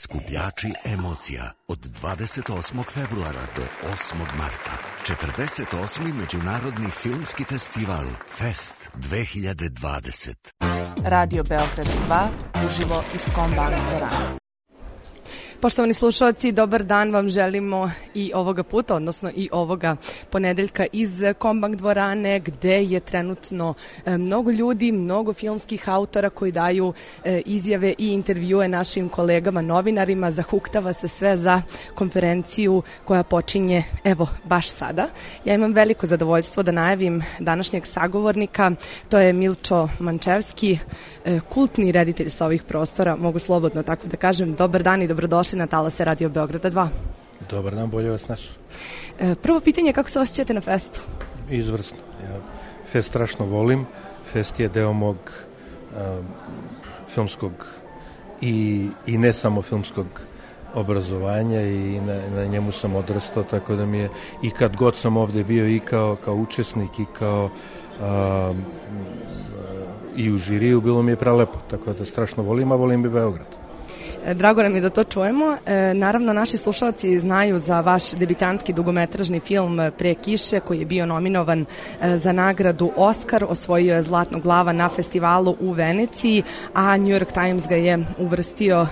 Skupljači emocija od 28. februara do 8. marta. 48. Međunarodni filmski festival Fest 2020. Radio Beograd 2, uživo iz Kombang dvorane. Poštovani slušalci, dobar dan vam želimo i ovoga puta, odnosno i ovoga ponedeljka iz Kombang dvorane, gde je trenutno mnogo ljudi, mnogo filmskih autora koji daju izjave i intervjue našim kolegama novinarima. Zahuktava se sve za konferenciju koja počinje evo baš sada. Ja imam veliko zadovoljstvo da najavim današnjeg sagovornika, to je Milčo Mančevski, kultni reditelj sa ovih prostora, mogu slobodno tako da kažem. Dobar dan i dobrodošli na talase Radio Beograda 2. Dobar dan, bolje vas našao. Prvo pitanje, kako se osjećate na festu? Izvrsno. Ja fest strašno volim. Fest je deo mog filmskog i ne samo filmskog obrazovanja i na njemu sam odrastao, tako da mi je i kad god sam ovde bio i kao učesnik i kao i u žiriju, bilo mi je prelepo, tako da strašno volim, a volim i Beograd. Drago nam je da to čujemo. Naravno, naši slušalci znaju za vaš debitanski dugometražni film Pre kiše, koji je bio nominovan za nagradu Oskar, osvojio je Zlatnog glava na festivalu u Veneciji, a New York Times ga je uvrstio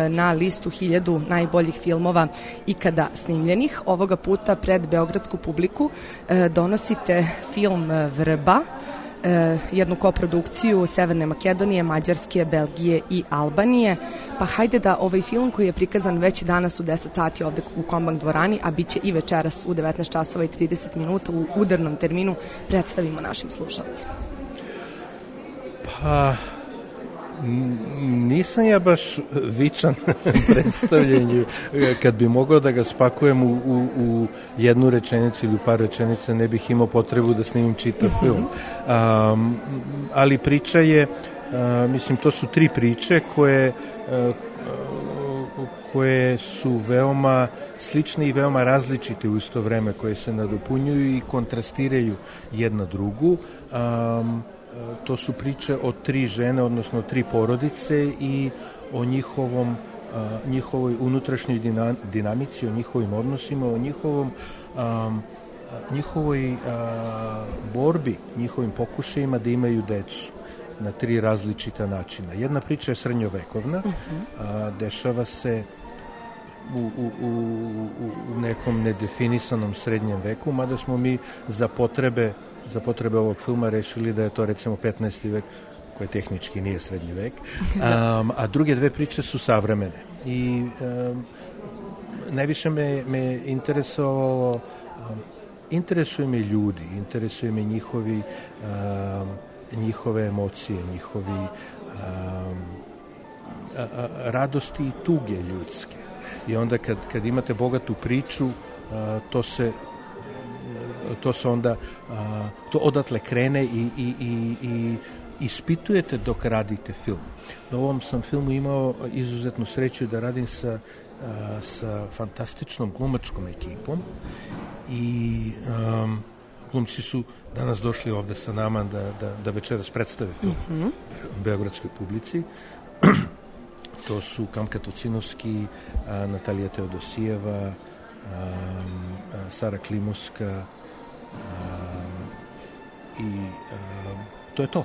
na listu 1000 najboljih filmova ikada snimljenih. Ovoga puta pred beogradsku publiku donosite film Vrba, jednu koprodukciju Severne Makedonije, Mađarske, Belgije i Albanije. Pa hajde da ovaj film koji je prikazan već danas u 10 sati ovde u Kombang dvorani, a bit će i večeras u 19 časova i 30 minuta u udarnom terminu, predstavimo našim slušalcima. Pa, nisam ja baš vičan predstavljenju. Kad bi mogao da ga spakujem u jednu rečenicu ili u par rečenica, ne bih imao potrebu da snimim čitav film. Ali priča je, mislim, to su 3 priče koje su veoma slične i veoma različite u isto vreme, koje se nadopunjuju i kontrastiraju jedna drugu. To su priče o 3 žene, odnosno 3 porodice i o njihovoj unutrašnjoj dinamici, o njihovim odnosima, o njihovoj borbi, njihovim pokušajima da imaju decu na 3 različita načina. Jedna priča je srednjovekovna, dešava se u nekom nedefinisanom srednjem veku, mada smo mi za potrebe ovog filma rešili da je to recimo 15. vek, koji tehnički nije srednji vek, a druge 2 priče su savremene. I najviše me interesovalo, interesuje me ljudi, interesuje me njihove emocije, njihovi radosti i tuge ljudske. I onda kad imate bogatu priču, to odatle krene i ispitujete dok radite film. Na ovom sam filmu imao izuzetnu sreću da radim sa fantastičnom glumačkom ekipom i glumci su danas došli ovde sa nama da večeras predstave film beogradskoj publici. To su Kamka Tocinovski, Natalija Teodosijeva, Sara Klimovska, i to je to.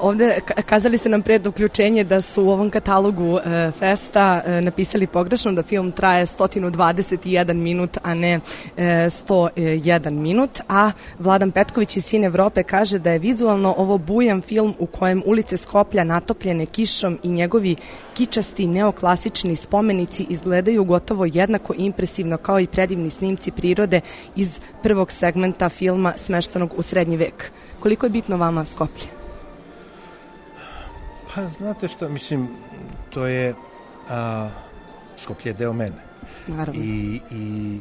Ovde kazali ste nam pred uključenje da su u ovom katalogu festa napisali pogrešno da film traje 121 minut, a ne 101 minut, a Vladan Petković iz Sin Evrope kaže da je vizualno ovo bujan film u kojem ulice Skoplja natopljene kišom i njegovi kičasti neoklasični spomenici izgledaju gotovo jednako impresivno kao i predivni snimci prirode iz prvog segmenta filma smeštenog u srednji vek. Koliko je bitno vama Skoplje? Pa znate što, mislim, to je Skoplje je deo mene. Naravno. I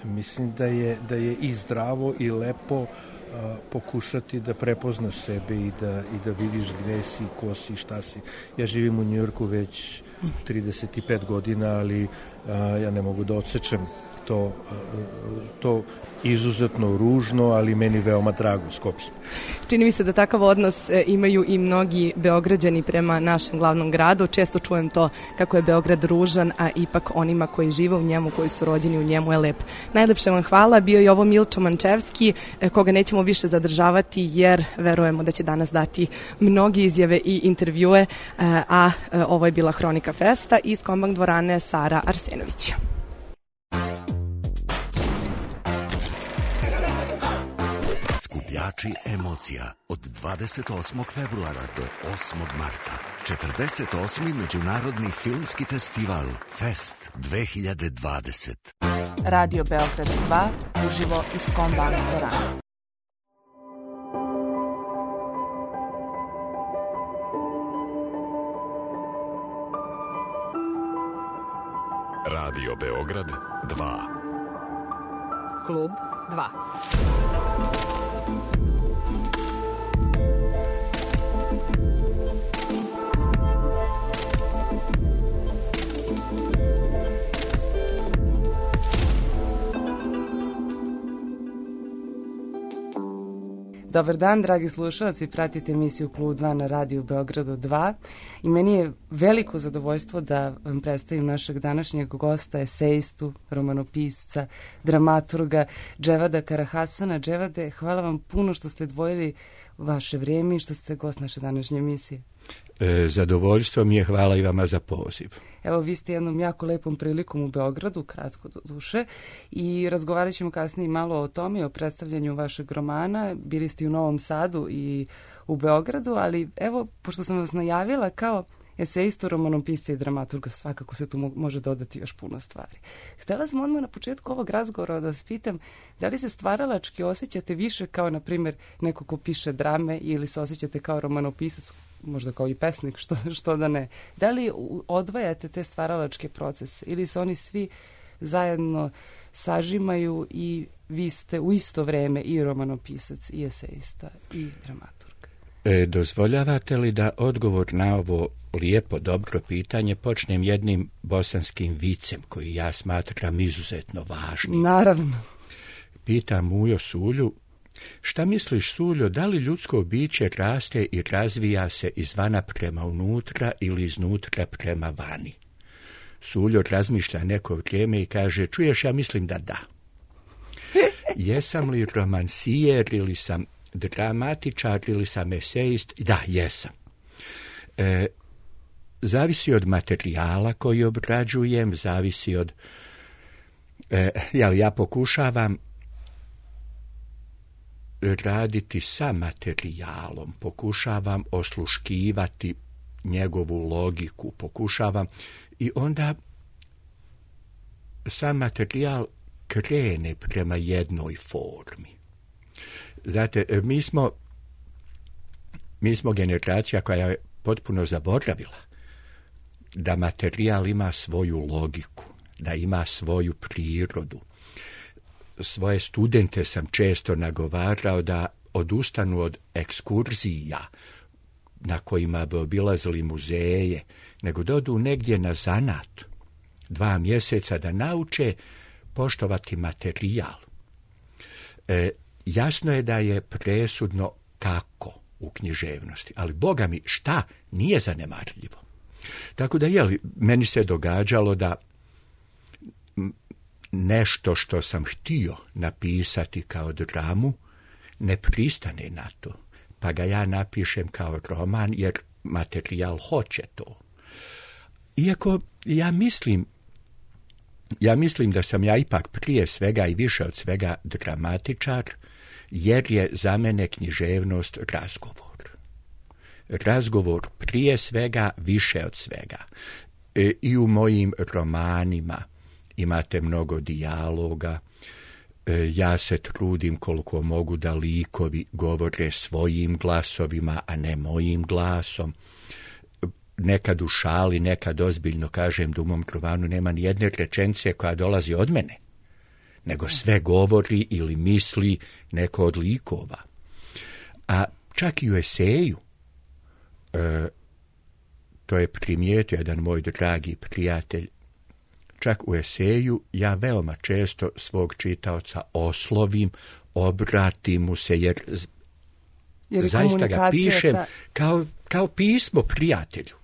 mislim da je i zdravo i lepo pokušati da prepoznaš sebe i da vidiš gde si, ko si, šta si. Ja živim u Njujorku već 35 godina, ali ja ne mogu da odsečem to izuzetno ružno, ali meni veoma drago Skoplje. Čini mi se da takav odnos imaju i mnogi Beograđani prema našem glavnom gradu. Često čujem to kako je Beograd ružan, a ipak onima koji žive u njemu, koji su rođeni u njemu je lep. Najlepše vam hvala. Bio je ovo Milčo Mančevski, koga nećemo više zadržavati jer verujemo da će danas dati mnogi izjave i intervjue, a ovo je bila Hronika Festa iz Kombank dvorane Sara Arsenović. Skupljači emocija od 28. februara do 8. marta. 48. Međunarodni filmski festival Fest 2020. Radio Beograd 2, uživo iz Kombank dvorane. Radio Beograd 2. Klub 2. Dobar dan, dragi slušalci, pratite emisiju Klub 2 na radiju Beogradu 2 i meni je veliko zadovoljstvo da vam predstavim našeg današnjeg gosta, esejistu, romanopisca, dramaturga Dževada Karahasana. Dževade, hvala vam puno što ste odvojili vaše vrijeme i što ste gost naše današnje emisije. Zadovoljstvo mi je, hvala i vama za poziv. Evo, vi ste jednom jako lepom prilikom u Beogradu, kratko do duše, i razgovarat ćemo kasnije malo o tome, o predstavljanju vašeg romana. Bili ste u Novom Sadu i u Beogradu, ali evo, pošto sam vas najavila kao esejistu, romanopisca i dramaturga, svakako se tu može dodati još puno stvari. Htjela sam odmah na početku ovog razgovora da vas pitam, da li se stvaralački osjećate više kao, na primjer, neko ko piše drame ili se osjećate kao romanopisac, možda kao i pesnik, što da ne. Da li odvajate te stvaralačke procese ili se oni svi zajedno sažimaju i vi ste u isto vrijeme i romanopisac i esejista i dramaturg? Dozvoljavate li da odgovor na ovo lijepo, dobro pitanje počnem jednim bosanskim vicem koji ja smatram izuzetno važnim? Naravno. Pitam Mujo Sulju, šta misliš, Suljo, da li ljudsko biće raste i razvija se izvana prema unutra ili iznutra prema vani? Suljo razmišlja neko vrijeme i kaže, čuješ, ja mislim da da. Jesam li romansijer ili sam dramatičar ili sam esejist? Da, jesam. Zavisi od materijala koji obrađujem, zavisi od... ja pokušavam raditi sa materijalom, pokušavam osluškivati njegovu logiku, pokušavam i onda sam materijal krene prema jednoj formi. Znate, mi smo generacija koja je potpuno zaboravila da materijal ima svoju logiku, da ima svoju prirodu. Svoje studente sam često nagovarao da odustanu od ekskurzija na kojima bi obilazili muzeje, nego da odu negdje na zanat 2 mjeseca da nauče poštovati materijal. Jasno je da je presudno kako u književnosti, ali Boga mi šta nije zanemarljivo. Tako da meni se događalo da nešto što sam htio napisati kao dramu ne pristane na to, pa ga ja napišem kao roman jer materijal hoće to. Iako ja mislim da sam ja ipak prije svega i više od svega dramatičar, jer je za mene književnost razgovor. Razgovor prije svega, više od svega. I u mojim romanima imate mnogo dijaloga. Ja se trudim koliko mogu da likovi govore svojim glasovima, a ne mojim glasom. Nekad u šali, nekad ozbiljno kažem da u mom romanu nema ni jedne rečenice koja dolazi od mene, nego sve govori ili misli neko od likova. A čak i u eseju, to je primijetio jedan moj dragi prijatelj čak u eseju ja veoma često svog čitaoca oslovim, obratim mu se, jer zaista ga pišem kao pismo prijatelju.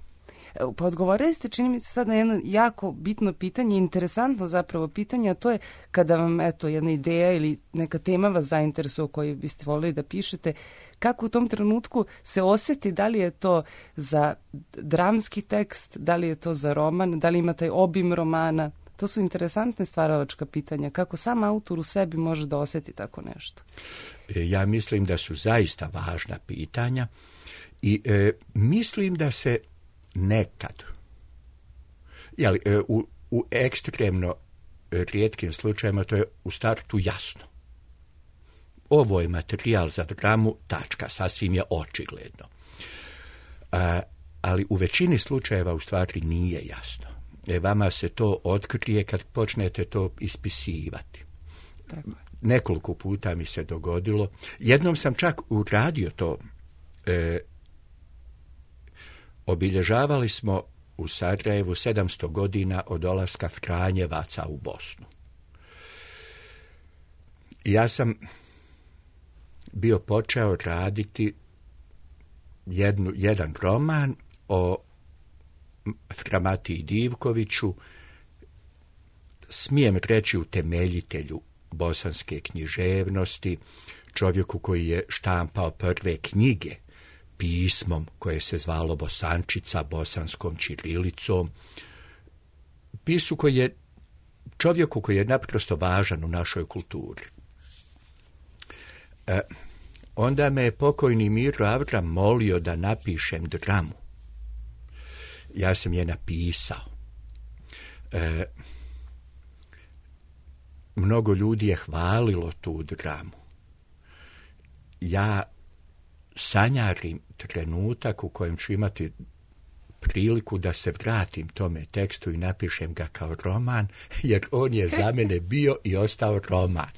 Pa odgovorili ste, čini mi se sad na jedno jako bitno pitanje, interesantno zapravo pitanje, a to je kada vam jedna ideja ili neka tema vas zainteresuje o kojoj biste volili da pišete, kako u tom trenutku se osjeti, da li je to za dramski tekst, da li je to za roman, da li ima taj obim romana. To su interesantne stvaralačka pitanja. Kako sam autor u sebi može da osjeti tako nešto? Ja mislim da su zaista važna pitanja i mislim da se nekad, u ekstremno rijetkim slučajima, to je u startu jasno. Ovo je materijal za dramu, tačka, sasvim je očigledno. Ali u većini slučajeva u stvari nije jasno. Vama se to otkrije kad počnete to ispisivati. Tako. Nekoliko puta mi se dogodilo. Jednom sam čak uradio to. Obilježavali smo u Sarajevu 700 godina od dolaska Franjevaca u Bosnu. Ja sam bio počeo raditi jedan roman o Fra-Matiji Divkoviću, smijem reći utemeljitelju bosanske književnosti, čovjeku koji je štampao prve knjige pismom koje se zvalo Bosančica, bosanskom ćirilicom, čovjeku koji je naprosto važan u našoj kulturi. Onda me je pokojni Miro Avram molio da napišem dramu. Ja sam je napisao. Mnogo ljudi je hvalilo tu dramu. Ja sanjarim trenutak u kojem ću imati priliku da se vratim tome tekstu i napišem ga kao roman, jer on je za mene bio i ostao roman.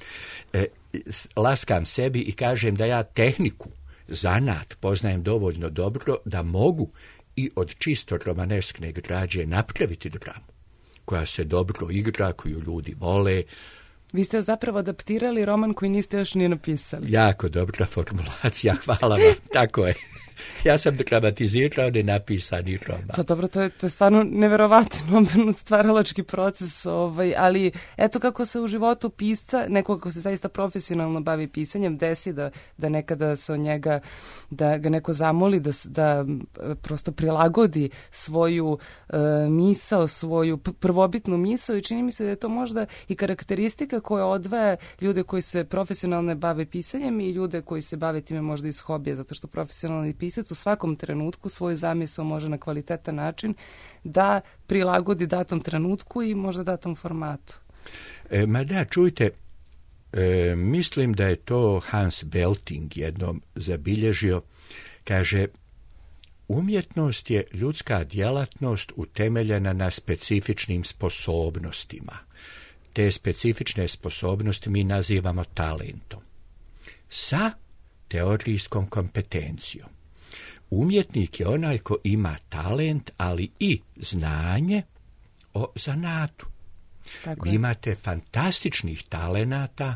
Laskam sebi i kažem da ja tehniku, zanat poznajem dovoljno dobro da mogu i od čisto romaneskne građe napraviti dramu koja se dobro igra, koju ljudi vole. Vi ste zapravo adaptirali roman koji niste još ni napisali. Jako dobra formulacija, hvala vam, tako je. Ja sam dramatizirao nenapisani roman. Pa dobro, to je stvarno neverovatan stvaralački proces, ali eto kako se u životu pisca, neko ko se zaista profesionalno bavi pisanjem, desi da nekada se od njega, da ga neko zamoli da prosto prilagodi svoju misao, svoju prvobitnu misao, i čini mi se da je to možda i karakteristika koja odvaja ljude koji se profesionalno bave pisanjem i ljude koji se bave time možda iz hobija, zato što profesionalni pisac u svakom trenutku svoju zamisao može na kvalitetan način da prilagodi datom trenutku i možda datom formatu. Ma da, čujte, mislim da je to Hans Belting jednom zabilježio. Kaže, umjetnost je ljudska djelatnost utemeljena na specifičnim sposobnostima. Te specifične sposobnosti mi nazivamo talentom. Sa teorijskom kompetencijom. Umjetnik je onaj ko ima talent, ali i znanje o zanatu. Vi imate fantastičnih talenata,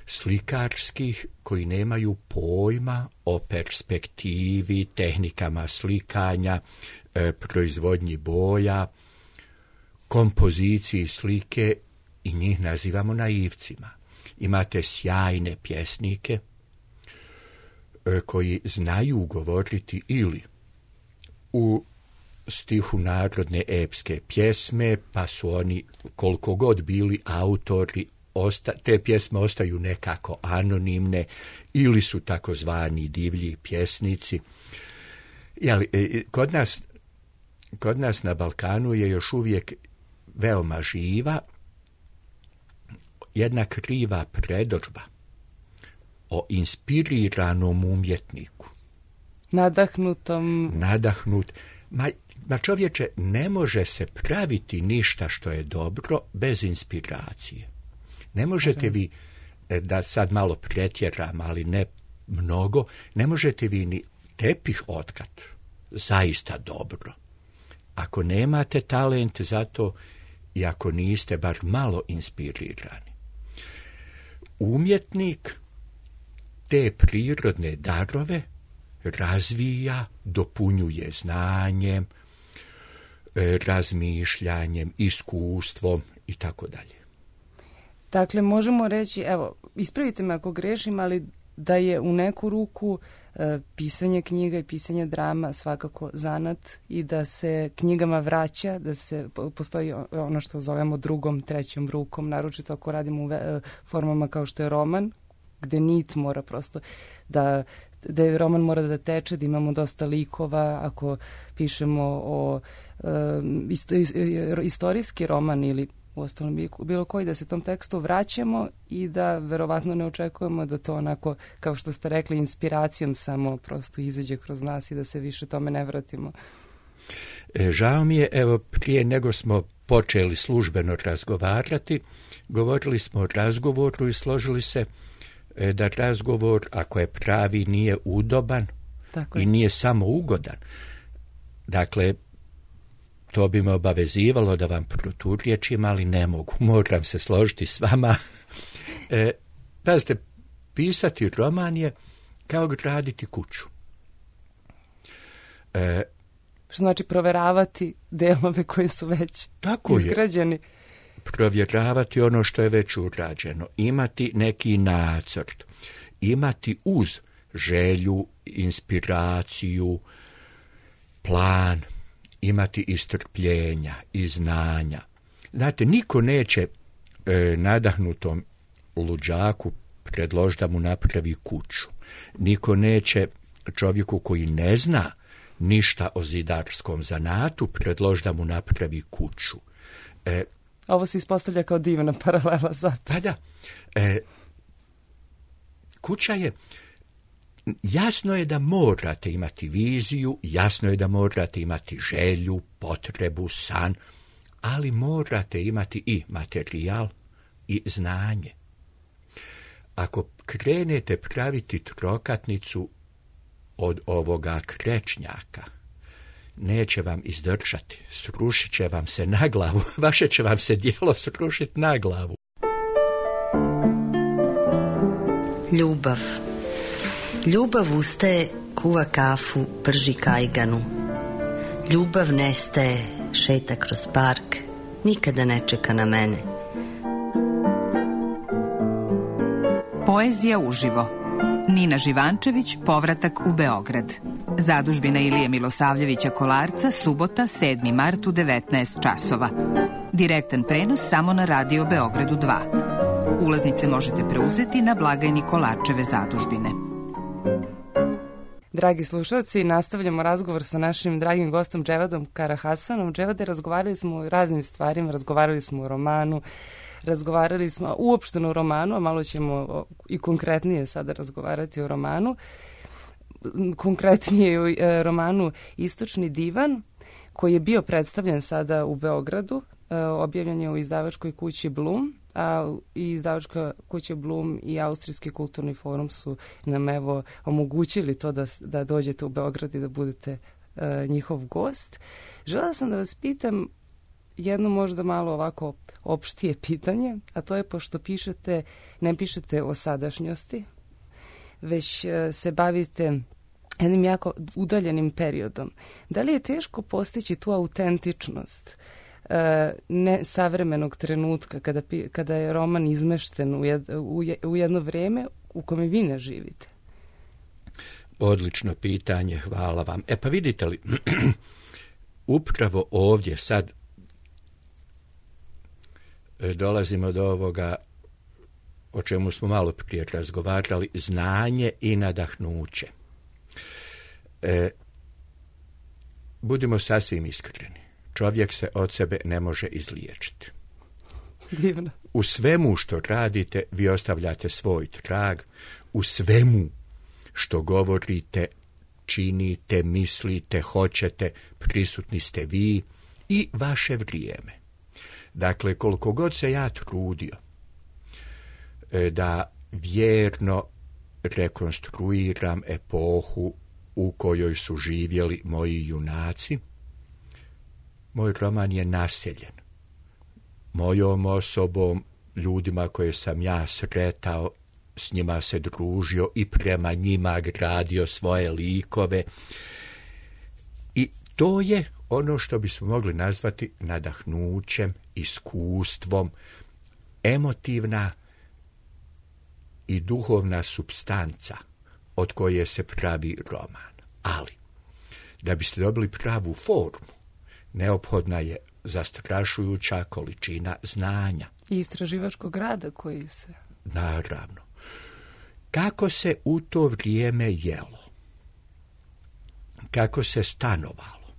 slikarskih, koji nemaju pojma o perspektivi, tehnikama slikanja, proizvodnji boja, kompoziciji slike, i njih nazivamo naivcima. Imate sjajne pjesnike koji znaju govoriti ili u stihu narodne epske pjesme, pa su oni, koliko god bili autori, te pjesme ostaju nekako anonimne, ili su takozvani divlji pjesnici. Kod nas na Balkanu je još uvijek veoma živa jedna kriva predodžba o inspiriranom umjetniku. Nadahnut. Ma čovječe, ne može se praviti ništa što je dobro bez inspiracije. Ne možete vi, da sad malo pretjeram, ali ne mnogo, ne možete vi ni tepih otkat zaista dobro. Ako nemate talent za to, i ako niste bar malo inspirirani. Umjetnik te prirodne darove razvija, dopunjuje znanjem, razmišljanjem, iskustvom i tako dalje. Dakle, možemo reći, evo, ispravite me ako grešim, ali da je u neku ruku pisanje knjiga i pisanje drama svakako zanat i da se knjigama vraća, da se postoji ono što zovemo drugom, trećom rukom, naročito ako radimo u formama kao što je roman, gde nit mora prosto da roman mora da teče, da imamo dosta likova, ako pišemo o istorijski roman ili uostalom bilo koji, da se tom tekstu vraćamo i da verovatno ne očekujemo da to onako, kao što ste rekli, inspiracijom samo prosto izađe kroz nas i da se više tome ne vratimo. Žao mi je, evo, prije nego smo počeli službeno razgovarati, govorili smo o razgovoru i složili se da razgovor, ako je pravi, nije udoban i nije samo ugodan. Dakle, to bi me obavezivalo da vam proturječim, ali ne mogu. Moram se složiti s vama. Pazite, pisati roman je kao graditi kuću. Što znači proveravati delove koji su već izgrađeni. Provjeravati ono što je već urađeno. Imati neki nacrt. Imati uz želju, inspiraciju, plan, imati i strpljenja i znanja. Znate, niko neće nadahnutom luđaku predložiti da mu napravi kuću. Niko neće čovjeku koji ne zna ništa o zidarskom zanatu predložiti da mu napravi kuću. Ovo se ispostavlja kao divna paralela zato. Pa da. Kuća je, jasno je da morate imati viziju, jasno je da morate imati želju, potrebu, san, ali morate imati i materijal i znanje. Ako krenete praviti trokatnicu od ovoga krečnjaka, neće vam izdržati, srušit će vam se na glavu, vaše će vam se dijelo srušiti na glavu. Ljubav. Ljubav ustaje, kuva kafu, prži kajganu. Ljubav nestaje, šeta kroz park, nikada ne čeka na mene. Poezija uživo. Nina Živančević, Povratak u Beograd. Zadužbina Ilije Milosavljevića Kolarca, subota, 7. mart u 19 časova. Direktan prenos samo na Radio Beogradu 2. Ulaznice možete preuzeti na blagajni Kolarčeve zadužbine. Dragi slušalci, nastavljamo razgovor sa našim dragim gostom Dževadom Karahasanom. Dževade, razgovarali smo o raznim stvarima, razgovarali smo o romanu, razgovarali smo uopšteno o romanu, a malo ćemo i konkretnije sada razgovarati o romanu. Konkretnije o romanu Istočni divan, koji je bio predstavljen sada u Beogradu, objavljen je u izdavačkoj kući Blum, a i izdavačka kuća Blum i Austrijski kulturni forum su nam evo omogućili to da dođete u Beograd i da budete njihov gost. Želela sam da vas pitam jedno možda malo ovako opštije pitanje, a to je pošto ne pišete o sadašnjosti, već se bavite jednim jako udaljenim periodom. Da li je teško postići tu autentičnost ne savremenog trenutka kada je roman izmešten u jedno vrijeme u kome vi ne živite? Odlično pitanje, hvala vam. Pa vidite li, upravo ovdje sad dolazimo do ovoga o čemu smo malo prije razgovarali, znanje i nadahnuće. Budimo sasvim iskreni. Čovjek se od sebe ne može izliječiti. Divno. U svemu što radite, vi ostavljate svoj trag. U svemu što govorite, činite, mislite, hoćete, prisutni ste vi i vaše vrijeme. Dakle, koliko god se ja trudio da vjerno rekonstruiram epohu u kojoj su živjeli moji junaci, moj roman je naseljen mojom osobom, ljudima koje sam ja sretao, s njima se družio i prema njima gradio svoje likove. I to je ono što bismo mogli nazvati nadahnućem, iskustvom, emotivna i duhovna supstanca od koje se pravi roman. Ali, da biste dobili pravu formu, neophodna je zastrašujuća količina znanja. I istraživačkog rada koji se... Naravno. Kako se u to vrijeme jelo? Kako se stanovalo?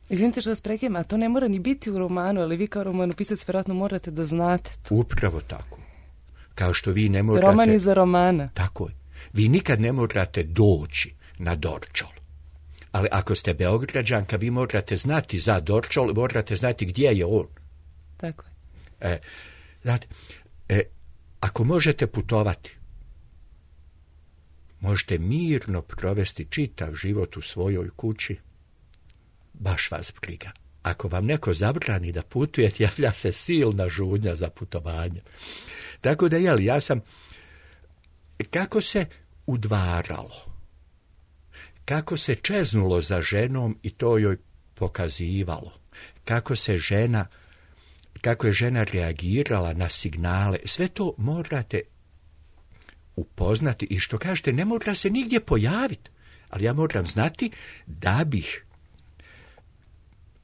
Izvinite što vas prekidam, a to ne mora ni biti u romanu, ali vi kao romanopisac vjerojatno morate da znate to. Upravo tako. Kao što vi ne morate... Roman iza romana. Tako je. Vi nikad ne morate doći na Dorćol. Ali ako ste Beograđanka, vi morate znati za Dorćol, morate znati gdje je on. Tako je. Znate, ako možete putovati, možete mirno provesti čitav život u svojoj kući, baš vas briga. Ako vam neko zabrani da putujete, javlja se silna žudnja za putovanje. Tako da, ja sam... Kako se udvaralo, kako se čeznulo za ženom i to joj pokazivalo, kako je žena reagirala na signale, sve to morate upoznati i što kažete, ne mora se nigdje pojaviti, ali ja moram znati da bih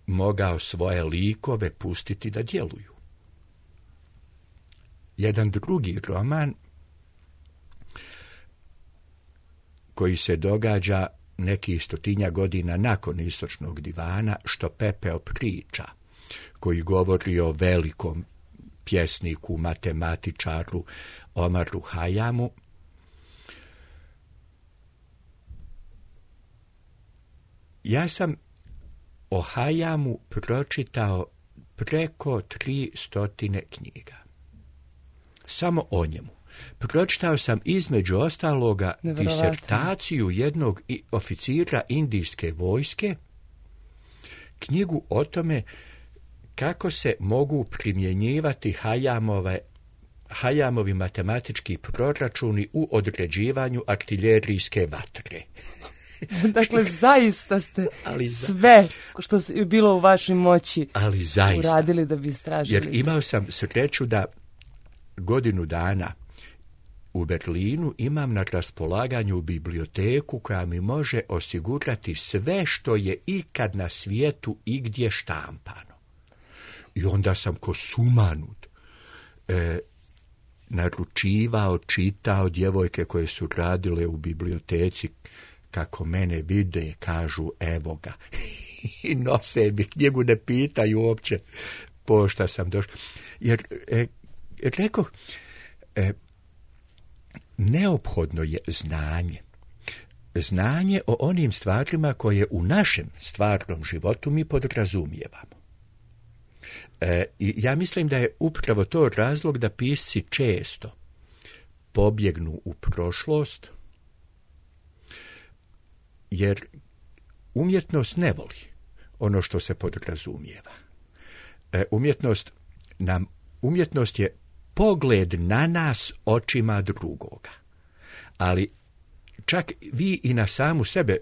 mogao svoje likove pustiti da djeluju. Jedan drugi roman koji se događa neki 100 godina nakon Istočnog divana, Što pepeo priča, koji govori o velikom pjesniku, matematičaru Omaru Hajamu. Ja sam o Hajamu pročitao preko 300 knjiga. Samo o njemu. Pročitao sam između ostaloga disertaciju jednog oficira indijske vojske, knjigu o tome kako se mogu primjenjivati Hajamovi matematički proračuni u određivanju artiljerijske vatre. Dakle, zaista ste sve što je bilo u vašoj moći uradili da bi istražili. Jer imao sam sreću da godinu dana u Berlinu imam na raspolaganju biblioteku koja mi može osigurati sve što je ikad na svijetu igdje štampano. I onda sam ko sumanut naručivao, čitao, djevojke koje su radile u biblioteci, kako mene vide, kažu evo ga. I nose mi knjigu, ne pitaju uopće pošta sam došao. Jer, rekoh, neophodno je znanje. Znanje o onim stvarima koje u našem stvarnom životu mi podrazumijevamo. I ja mislim da je upravo to razlog da pisci često pobjegnu u prošlost, jer umjetnost ne voli ono što se podrazumijeva. Umjetnost je pogled na nas očima drugoga. Ali čak vi i na samu sebe,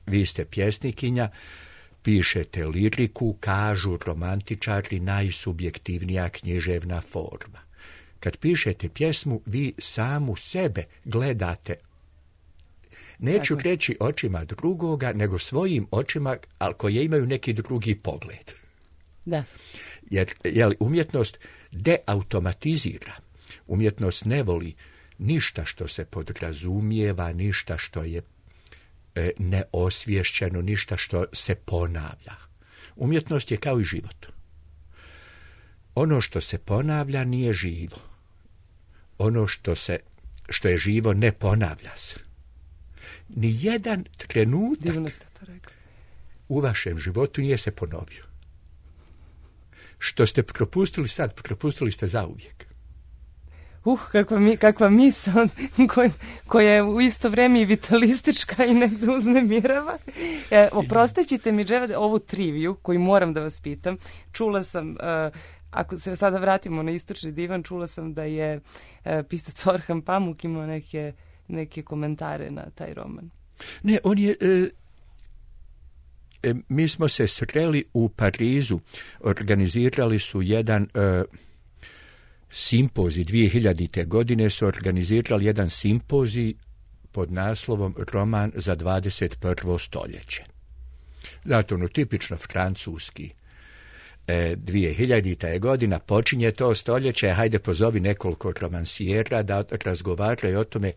vi ste pjesnikinja, pišete liriku, kažu romantičari, najsubjektivnija književna forma. Kad pišete pjesmu, vi samu sebe gledate, neću reći očima drugoga, nego svojim očima, ali koje imaju neki drugi pogled. Da. Jer umjetnost deautomatizira. Umjetnost ne voli ništa što se podrazumijeva, ništa što je neosvješćeno, ništa što se ponavlja. Umjetnost je kao i život. Ono što se ponavlja nije živo. Ono što je živo ne ponavlja se. Nijedan trenutak u vašem životu nije se ponovio. Što ste propustili sad, propustili ste zauvijek. Kakva misao koja je u isto vrijeme i vitalistička i negdje uznemirava. Oprostit ćete mi, Dževade, ovu triviju koju moram da vas pitam. Čula sam ako se sada vratimo na Istočni divan, čula sam da je pisac Orhan Pamuk imao neke komentare na taj roman. Ne, on je... mi smo se sreli u Parizu, organizirali su jedan simpozij, 2000. godine su organizirali jedan simpozij pod naslovom Roman za 21. stoljeće. Zato ono tipično francuski. 2000. godina počinje to stoljeće, hajde pozovi nekoliko romansijera da razgovaraju o tome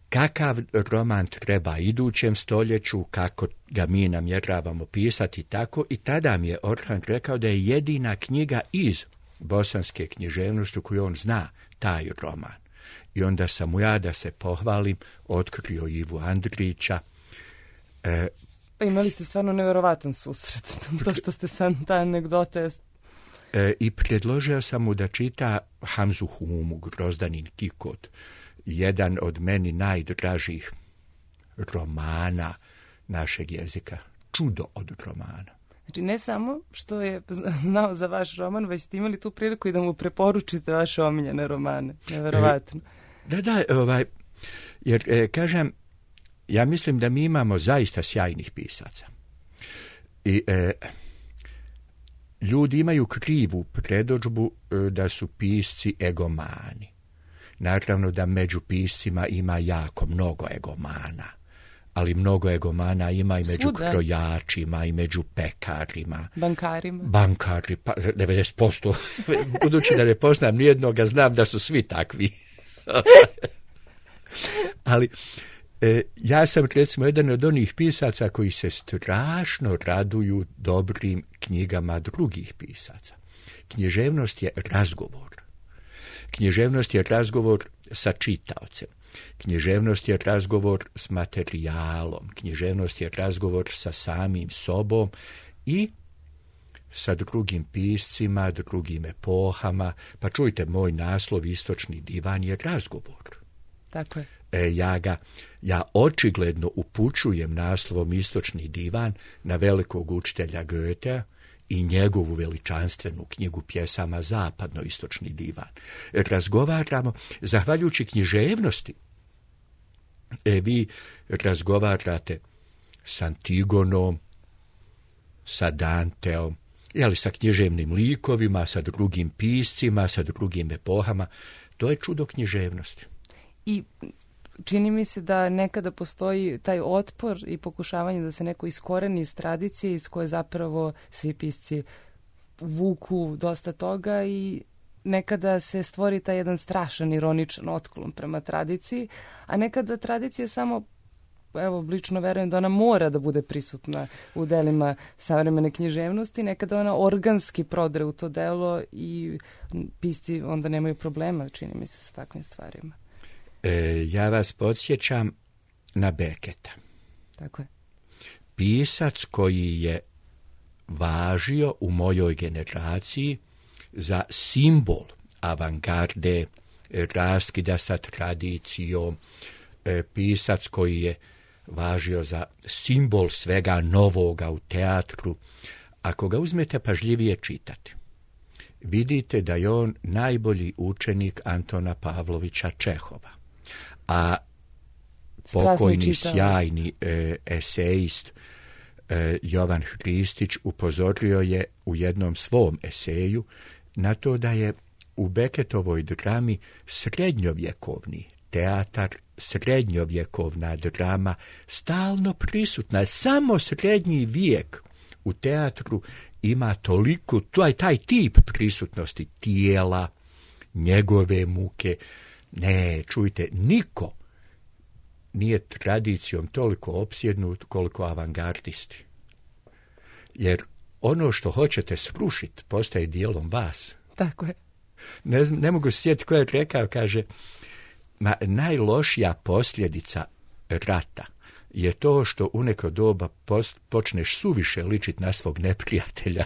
kakav roman treba idućem stoljeću, kako ga mi namjeravamo pisati tako, i tada mi je Orhan rekao da je jedina knjiga iz bosanske književnosti koju on zna taj roman. I onda sam mu ja, da se pohvalim, otkrio Ivu Andrića. Pa imali ste stvarno neverovatan susret, to što ste sam ta anegdota. I predložio sam mu da čita Hamzu Humu, Grozdanin Kikot, jedan od meni najdražih romana našeg jezika. Čudo od romana. Znači, ne samo što je znao za vaš roman, već ste imali tu priliku i da mu preporučite vaše omiljene romane. Neverovatno. Da, jer kažem, ja mislim da mi imamo zaista sjajnih pisaca. I ljudi imaju krivu predodžbu da su pisci egomani. Naravno da među piscima ima jako mnogo egomana, ali mnogo egomana ima i među krojačima, i među pekarima. Bankari, pa 90%. Budući da ne poznam nijednoga, znam da su svi takvi. Ali ja sam recimo jedan od onih pisaca koji se strašno raduju dobrim knjigama drugih pisaca. Književnost je razgovor. Književnost je razgovor sa čitaocem. Književnost je razgovor s materijalom. Književnost je razgovor sa samim sobom i sa drugim piscima, drugim epohama. Pa čujte, moj naslov Istočni divan je razgovor. Tako je. Ja očigledno upućujem naslovom Istočni divan na velikog učitelja Goethea i njegovu veličanstvenu knjigu pjesama Zapadno-istočni divan. Razgovaramo, zahvaljujući književnosti, vi razgovarate s Antigonom, sa Danteom, sa književnim likovima, sa drugim piscima, sa drugim epohama. To je čudo književnosti. I čini mi se da nekada postoji taj otpor i pokušavanje da se neko iskoreni iz tradicije iz koje zapravo svi pisci vuku dosta toga i nekada se stvori taj jedan strašan ironičan otklon prema tradiciji, a nekada tradicija samo, evo, lično verujem da ona mora da bude prisutna u delima savremene književnosti, nekada ona organski prodre u to delo i pisci onda nemaju problema, čini mi se, sa takvim stvarima. Ja vas podsjećam na Beketa. Tako je. Pisac koji je važio u mojoj generaciji za simbol avangarde, raskida sa tradicijom, pisac koji je važio za simbol svega novoga u teatru. Ako ga uzmete pažljivije čitati, vidite da je on najbolji učenik Antona Pavlovića Čehova. A pokojni sjajni esejist Jovan Hristić upozorio je u jednom svom eseju na to da je u Beketovoj drami srednjovjekovni teatar, srednjovjekovna drama stalno prisutna. Samo srednji vijek u teatru ima toliko, taj tip prisutnosti tijela, njegove muke. Ne, čujte, niko nije tradicijom toliko opsjednut koliko avangardisti. Jer ono što hoćete srušiti postaje dijelom vas. Tako je. Ne mogu se sjetiti ko je rekao, kaže, najlošija posljedica rata je to što u neko doba počneš suviše ličiti na svog neprijatelja.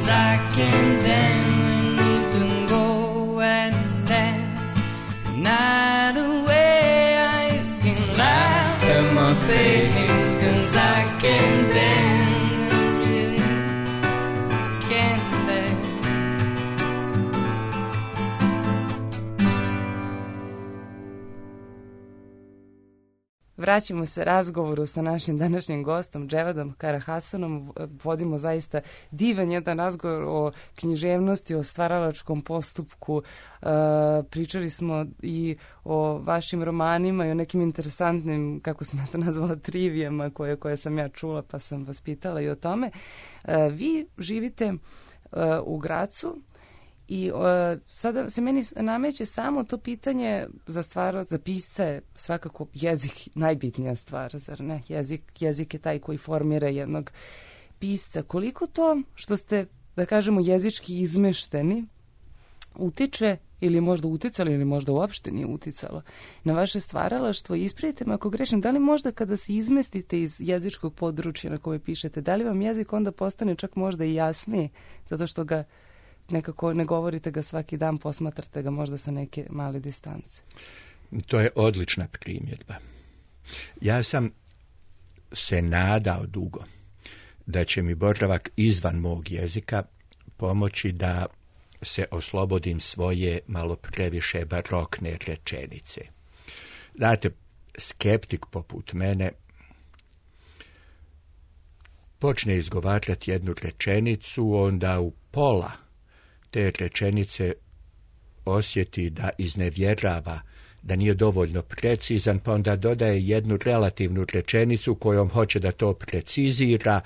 'cause I can dance when you can go and dance the night away. I can laugh at my face 'cause I can dance when you can dance. Vraćamo se razgovoru sa našim današnjim gostom Dževadom Karahasanom. Vodimo zaista divan jedan razgovor o književnosti, o stvaralačkom postupku. Pričali smo i o vašim romanima i o nekim interesantnim, kako sam ja to nazvala, trivijama koje sam ja čula, pa sam vas pitala i o tome. Vi živite u Gracu. I sada se meni nameće samo to pitanje za pisca je svakako jezik najbitnija stvar, zar ne? Jezik je taj koji formira jednog pisca. Koliko to što ste, da kažemo, jezički izmešteni utiče ili možda uticalo ili možda uopšte nije uticalo na vaše stvaralaštvo? Ispravite me ako grešim, da li možda kada se izmestite iz jezičkog područja na koje pišete, da li vam jezik onda postane čak možda i jasniji zato što ga nekako ne govorite ga svaki dan, posmatrate ga možda sa neke male distance? To je odlična primjedba. Ja sam se nadao dugo da će mi boravak izvan mog jezika pomoći da se oslobodim svoje malo previše barokne rečenice. Znate, skeptik poput mene počne izgovarati jednu rečenicu, onda u pola te rečenice osjeti da iznevjerava, da nije dovoljno precizan, pa onda dodaje jednu relativnu rečenicu kojom hoće da to precizira,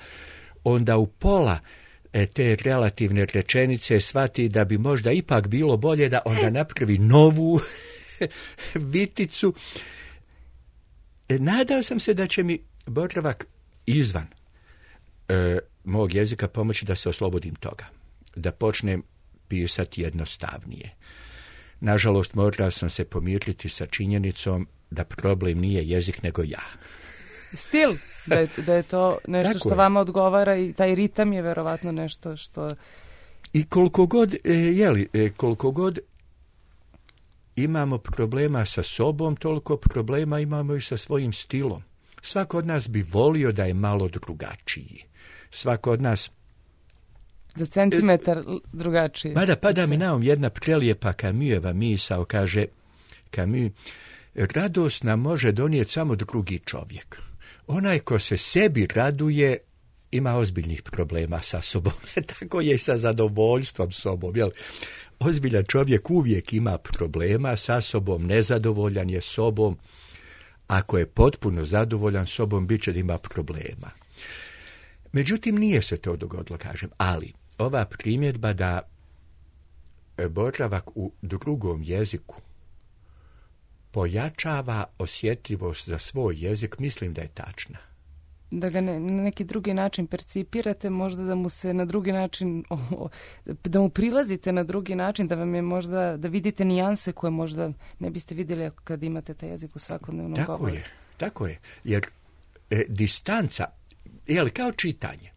onda u pola te relativne rečenice shvati da bi možda ipak bilo bolje da onda napravi novu viticu. Nadao sam se da će mi boravak izvan mog jezika pomoći da se oslobodim toga, da počnem pisati jednostavnije. Nažalost, morao sam se pomiriti sa činjenicom da problem nije jezik, nego ja. Stil, da je to nešto što vama odgovara i taj ritam je verovatno nešto što... I koliko god imamo problema sa sobom, toliko problema imamo i sa svojim stilom. Svako od nas bi volio da je malo drugačiji. Svako od nas... Za centimetar drugačije. Mada pada mi na um jedna prelijepa Camuseva misao, kaže Camus, radost nam može donijeti samo drugi čovjek. Onaj ko se sebi raduje ima ozbiljnih problema sa sobom. Tako je i sa zadovoljstvom sobom. Jel? Ozbiljan čovjek uvijek ima problema sa sobom, nezadovoljan je sobom. Ako je potpuno zadovoljan sobom, bit će da ima problema. Međutim, nije se to dogodilo, kažem, ali ova primjedba da boravak u drugom jeziku pojačava osjetljivost za svoj jezik, mislim da je tačna. Da ga na neki drugi način percipirate, možda da mu se na drugi način, da mu prilazite na drugi način, da vam je možda, da vidite nijanse koje možda ne biste vidjeli kad imate taj jezik u svakodnevnom govoru. Tako je, jer distanca, kao čitanje,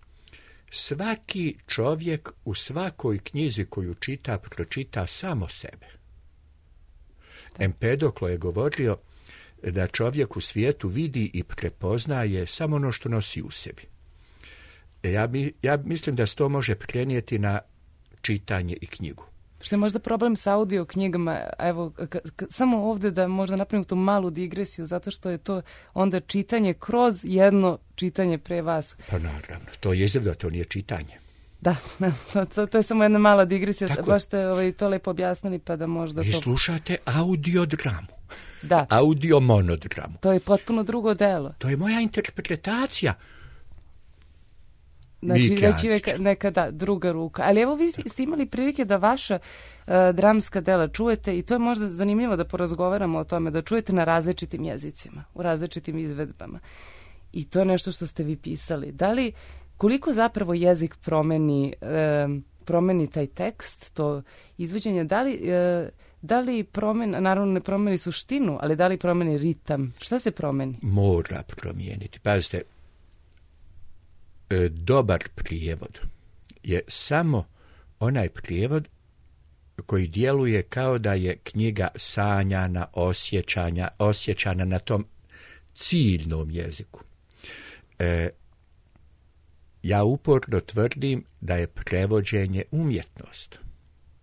svaki čovjek u svakoj knjizi koju čita, pročita samo sebe. Empedoklo je govorio da čovjek u svijetu vidi i prepoznaje samo ono što nosi u sebi. Ja mislim da se to može prenijeti na čitanje i knjigu. Što je možda problem sa audio knjigama, evo, samo ovdje da možda napravim tu malu digresiju, zato što je to onda čitanje kroz jedno čitanje pre vas. Pa naravno, to je da to nije čitanje. Da, to je samo jedna mala digresija, baš ste to lepo objasnili, pa da možda Vi slušate audiodramu. Da. Audio monodramu. To je potpuno drugo delo. To je moja interpretacija. Znači, neka druga ruka. Ali evo, vi ste imali prilike da vaša dramska dela čujete, i to je možda zanimljivo da porazgovaramo o tome, da čujete na različitim jezicima, u različitim izvedbama. I to je nešto što ste vi pisali. Koliko zapravo jezik promeni taj tekst, to izvođenje, da li promeni, naravno ne promeni suštinu, ali da li promeni ritam? Šta se promeni? Mora promijeniti. Pazite, dobar prijevod je samo onaj prijevod koji djeluje kao da je knjiga sanjana, osjećana na tom ciljnom jeziku. Ja uporno tvrdim da je prevođenje umjetnost.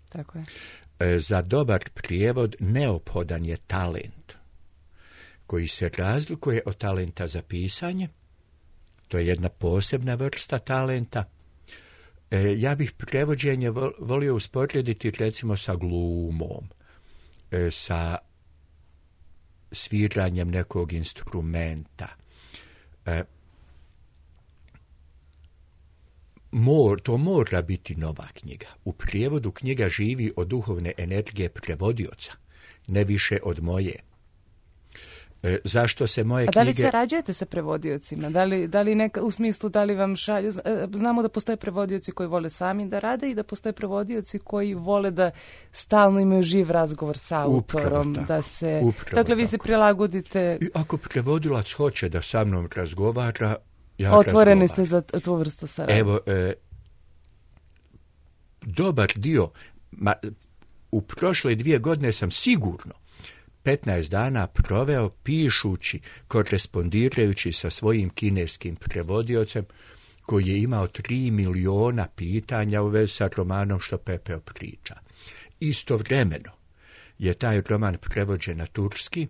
Tako je. Za dobar prijevod neophodan je talent, koji se razlikuje od talenta za pisanje. To je jedna posebna vrsta talenta. Ja bih prevođenje volio usporediti recimo sa glumom, sa sviranjem nekog instrumenta. To mora biti nova knjiga. U prijevodu knjiga živi od duhovne energije prevodioca, ne više od moje. Zašto se moje knjige... A da li sarađujete sa prevodiocima? Da li u smislu da li vam šalju... Znamo da postoje prevodioci koji vole sami da rade i da postoje prevodioci koji vole da stalno imaju živ razgovor sa autorom. Dakle, vi se prilagodite... I ako prevodilac hoće da sa mnom razgovara, otvoreni ste za tu vrstu saradnje. Evo, dobar dio, u prošle 2 godine sam sigurno 15 dana proveo pišući, korespondirajući sa svojim kineskim prevodiocem koji je imao 3 miliona pitanja u vezi sa romanom Što pepeo priča. Istovremeno je taj roman prevođen na turski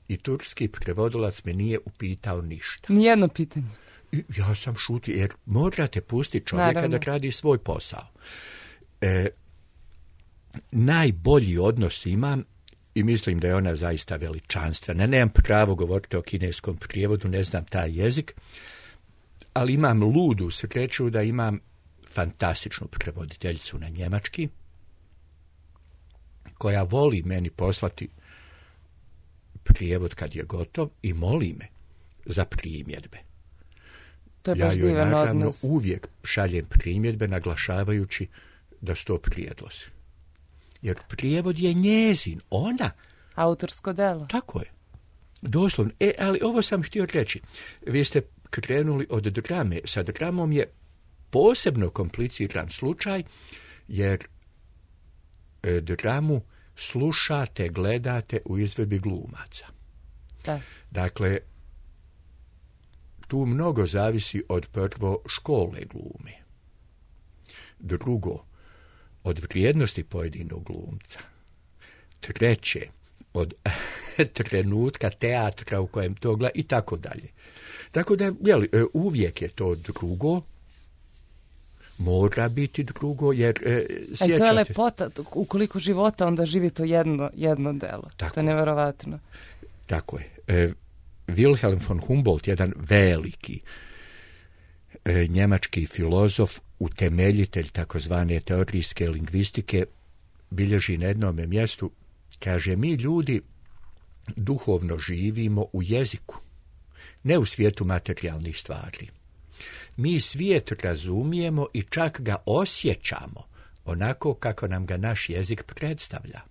i turski prevodilac me nije upitao ništa. Nijedno pitanje. Ja sam šutio, jer morate pustiti čovjeka da radi svoj posao. Najbolji odnos imam i mislim da je ona zaista veličanstvena. Nemam pravo govoriti o kineskom prijevodu, ne znam taj jezik, ali imam ludu sreću da imam fantastičnu prevoditeljicu na njemački, koja voli meni poslati prijevod kad je gotov i moli me za primjedbe. Ja joj naravno uvijek šaljem primjedbe naglašavajući da su to prijedlozi. Jer prijevod je njezin, ona. Autorsko delo. Tako je. Doslovno. Ali ovo sam htio reći. Vi ste krenuli od drame. Sa dramom je posebno kompliciran slučaj, jer dramu slušate, gledate u izvedbi glumaca. Da. Dakle, tu mnogo zavisi od prvo škole glume. Drugo, od vrijednosti pojedinog glumca. Treće, od trenutka teatra u kojem to gleda i tako dalje. Tako da, uvijek je to drugo, mora biti drugo, jer sjećate... to je lepota, ukoliko života onda živi to jedno delo. Tako. To je neverovatno. Tako je. Wilhelm von Humboldt, jedan veliki njemački filozof, utemeljitelj takozvane teorijske lingvistike, bilježi na jednome mjestu, kaže, mi ljudi duhovno živimo u jeziku, ne u svijetu materijalnih stvari. Mi svijet razumijemo i čak ga osjećamo onako kako nam ga naš jezik predstavlja.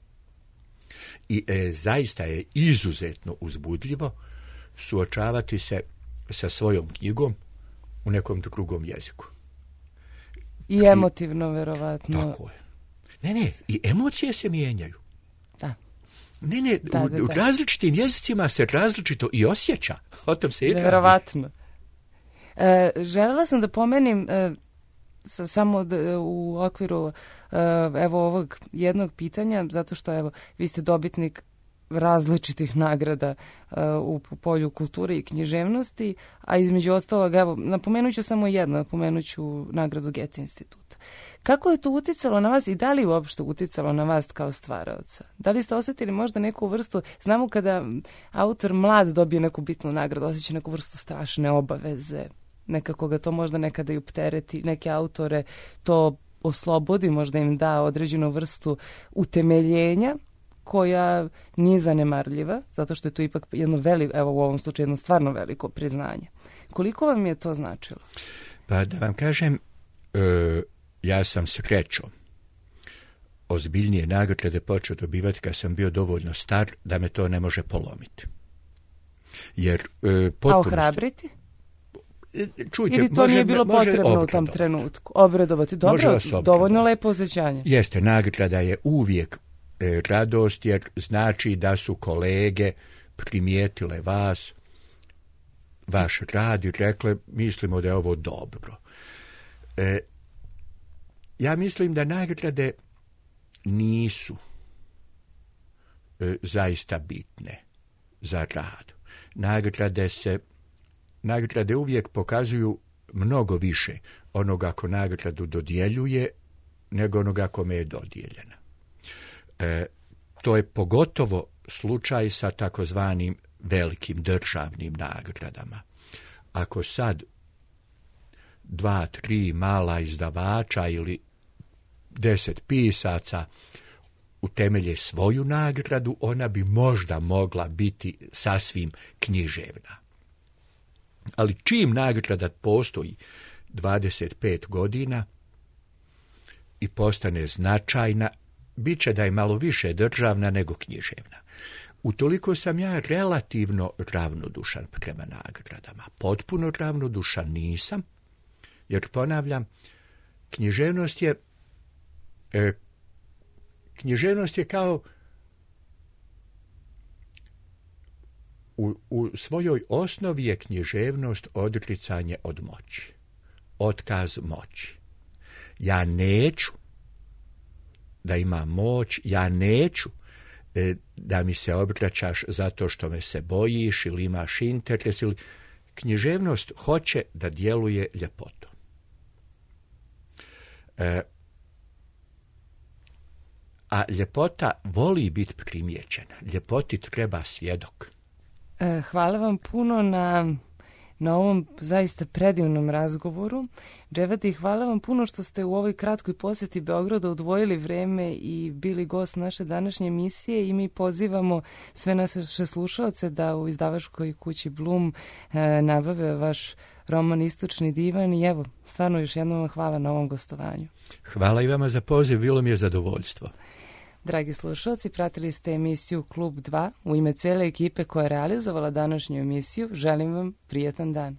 I zaista je izuzetno uzbudljivo suočavati se sa svojom knjigom u nekom drugom jeziku. I emotivno, verovatno. Tako je. Ne, i emocije se mijenjaju. Da. Ne, u različitim jezicima se različito i osjeća. O tom se i radi. Verovatno. Želela sam da pomenim samo u okviru ovog jednog pitanja, zato što vi ste dobitnik različitih nagrada u polju kulture i književnosti, a između ostalog, napomenut ću samo jedno, napomenut ću nagradu Goethe instituta. Kako je to uticalo na vas i da li uopšte uticalo na vas kao stvaraoca? Da li ste osjetili možda neku vrstu, znamo kada autor mlad dobije neku bitnu nagradu, osjeća neku vrstu strašne obaveze, nekako ga to možda nekada i optereti, neke autore to oslobodi, možda im da određenu vrstu utemeljenja, koja nije zanemarljiva, zato što je to ipak jedno veliko, u ovom slučaju jedno stvarno veliko priznanje. Koliko vam je to značilo? Pa da vam kažem, ja sam srećom ozbiljnije nagrade počeo dobivati kad sam bio dovoljno star da me to ne može polomiti. Jer a ohrabriti? Čujte, ili to nije bilo potrebno u tom trenutku? Obradovati. Dobro, dovoljno lepo osjećanje. Jeste, nagrada je uvijek radost, jer znači da su kolege primijetile vas, vaš rad i rekle, mislimo da je ovo dobro. Ja mislim da nagrade nisu zaista bitne za rad. Nagrade uvijek pokazuju mnogo više onoga ko nagradu dodjeljuje nego onoga kome je dodijeljena. To je pogotovo slučaj sa takozvanim velikim državnim nagradama. Ako sad 2-3 mala izdavača ili 10 pisaca utemelje svoju nagradu, ona bi možda mogla biti sasvim književna. Ali čim nagrada postoji 25 godina i postane značajna, bit će da je malo više državna nego književna. Utoliko sam ja relativno ravnodušan prema nagradama. Potpuno ravnodušan nisam, jer ponavljam, književnost je kao u svojoj osnovi je književnost odricanje od moći. Otkaz moći. Ja neću da imam moć, ja neću da mi se obraćaš zato što me se bojiš ili imaš interes. Književnost hoće da djeluje ljepotom. A ljepota voli biti primijećena. Ljepoti treba svjedok. Hvala vam puno na ovom zaista predivnom razgovoru. Dževdeti, hvala vam puno što ste u ovoj kratkoj posjeti Beograda odvojili vreme i bili gost naše današnje emisije i mi pozivamo sve naše slušaoce da u izdavačkoj kući Blum nabave vaš roman Istočni divan i evo, stvarno još jednom hvala na ovom gostovanju. Hvala i vama za poziv, bilo mi je zadovoljstvo. Dragi slušalci, pratili ste emisiju Klub 2. U ime cele ekipe koja je realizovala današnju emisiju, želim vam prijetan dan.